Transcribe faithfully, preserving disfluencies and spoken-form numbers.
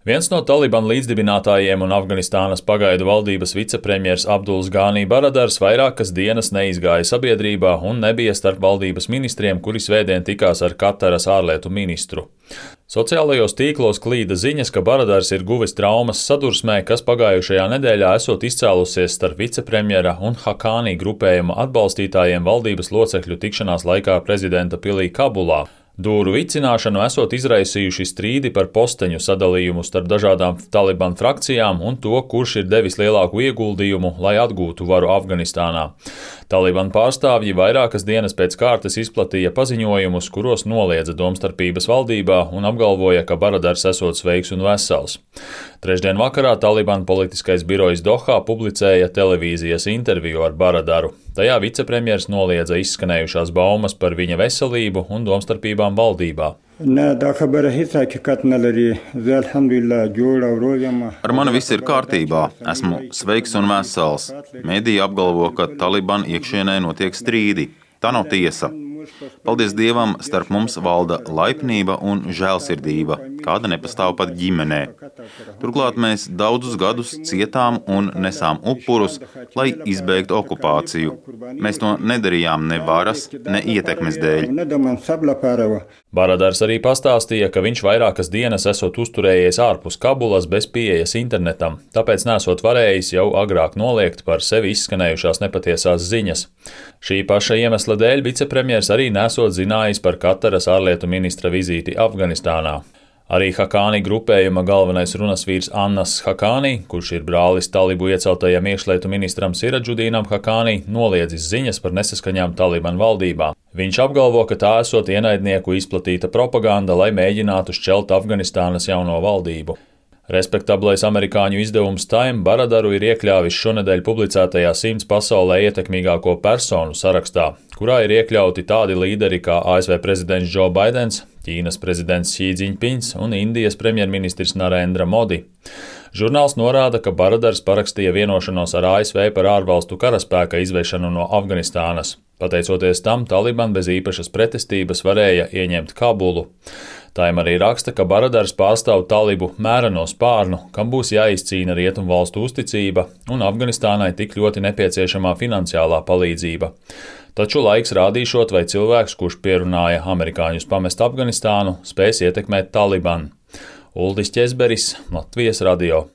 Viens no Taliban līdzdibinātājiem un Afganistānas pagaidu valdības vicepremjers Abduls Gānī Baradars vairākas dienas neizgāja sabiedrībā un nebija starp valdības ministriem, kuri svētdien tikās ar Kataras ārlietu ministru. Sociālajos tīklos klīda ziņas, ka Baradars ir guvis traumas sadursmē, kas pagājušajā nedēļā esot izcēlusies starp vicepremjera un Hakānī grupējuma atbalstītājiem valdības locekļu tikšanās laikā prezidenta pilī Kabulā. Dūru vicināšanu esot izraisījuši strīdi par posteņu sadalījumu starp dažādām Taliban frakcijām un to, kurš ir devis lielāku ieguldījumu, lai atgūtu varu Afganistānā. Taliban pārstāvji vairākas dienas pēc kārtas izplatīja paziņojumus, kuros noliedza domstarpības valdībā un apgalvoja, ka Baradars esot sveiks un vesels. Trešdien vakarā Taliban politiskais birojs Dohā publicēja televīzijas interviju ar Baradaru. Tajā vicepremjers noliedza izskanējušās baumas par viņa veselību un domstarpībām valdībā. Ar mani viss ir kārtībā. Esmu sveiks un vesels. Mediji apgalvo, ka Taliban iekšienē notiek strīdi. Tā nav tiesa. Paldies Dievam, starp mums valda laipnība un žēlsirdība, kāda nepastāv pat ģimenē. Turklāt mēs daudzus gadus cietām un nesām upurus, lai izbeigtu okupāciju. Mēs to nedarījām ne varas, ne ietekmes dēļ. Baradars arī pastāstīja, ka viņš vairākas dienas esot uzturējies ārpus Kabulas bez pieejas internetam, tāpēc nesot varējis jau agrāk noliegt par sevi izskanējušās nepatiesās ziņas. Šī paša iemesla dēļ vicepremjers arī nesot zinājis par Kataras ārlietu ministra vizīti Afganistānā. Arī Hakānī grupējuma galvenais runasvīrs Annas Hakānī, kurš ir brālis Talibu ieceltajam iekšlietu ministram Siradžudīnam Hakānī, noliedzis ziņas par nesaskaņām Taliban valdībā. Viņš apgalvo, ka tā esot ienaidnieku izplatīta propaganda, lai mēģinātu šķelt Afganistānas jauno valdību. Respektablais amerikāņu izdevums Time Baradaru ir iekļāvis šonedēļ publicētajā simts pasaulē ietekmīgāko personu sarakstā, kurā ir iekļauti tādi līderi kā A S V prezidents Joe Baidens, Ķīnas prezidents Xi Jinpings un Indijas premjerministrs Narendra Modi. Žurnāls norāda, ka Baradars parakstīja vienošanos ar A S V par ārvalstu karaspēka izvešanu no Afganistānas. Pateicoties tam, Taliban bez īpašas pretestības varēja ieņemt Kabulu. Time arī raksta, ka Baradars pārstāv Talibu mēreno spārnu, kam būs jāizcīna rietumvalstu uzticība un Afganistānai tik ļoti nepieciešamā finansiālā palīdzība. Taču laiks rādīšot, vai cilvēks, kurš pierunāja amerikāņus pamest Afganistānu, spēs ietekmēt Taliban. Uldis Ķezberis, Latvijas radio.